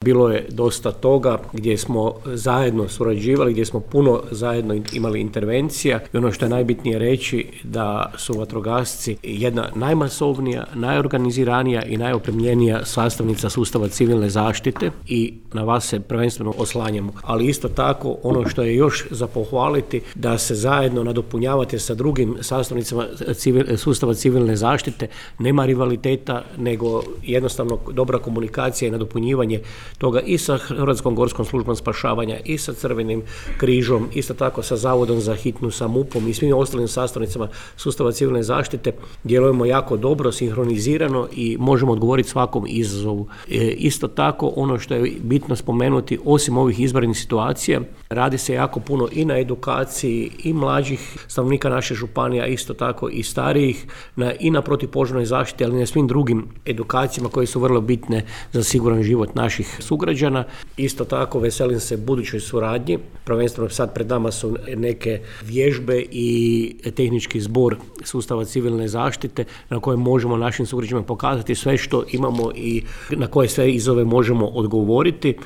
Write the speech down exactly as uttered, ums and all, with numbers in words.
Bilo je dosta toga gdje smo zajedno surađivali, gdje smo puno zajedno imali intervencija i ono što je najbitnije reći da su vatrogasci jedna najmasovnija, najorganiziranija i najopremljenija sastavnica sustava civilne zaštite i na vas se prvenstveno oslanjamo. Ali isto tako ono što je još za pohvaliti da se zajedno nadopunjavate sa drugim sastavnicama civil, sustava civilne zaštite, nema rivaliteta nego jednostavno dobra komunikacija i nadopunjivanje toga i sa Hrvatskom gorskom službom spašavanja i sa Crvenim križom, isto tako sa Zavodom za hitnu, sa MUP-om i svim ostalim sastavnicama sustava civilne zaštite djelujemo jako dobro, sinhronizirano i možemo odgovoriti svakom izazovu. E, isto tako ono što je bitno spomenuti, osim ovih izvanrednih situacija, radi se jako puno i na edukaciji i mlađih stanovnika naše županija, isto tako i starijih, na, i na protupožarnoj zaštiti, ali i na svim drugim edukacijama koje su vrlo bitne za siguran život naših sugrađana. Isto tako veselim se budućoj suradnji, prvenstveno sad pred nama su neke vježbe i tehnički zbor sustava civilne zaštite na kojem možemo našim sugrađanima pokazati sve što imamo i na koje sve izazove možemo odgovoriti.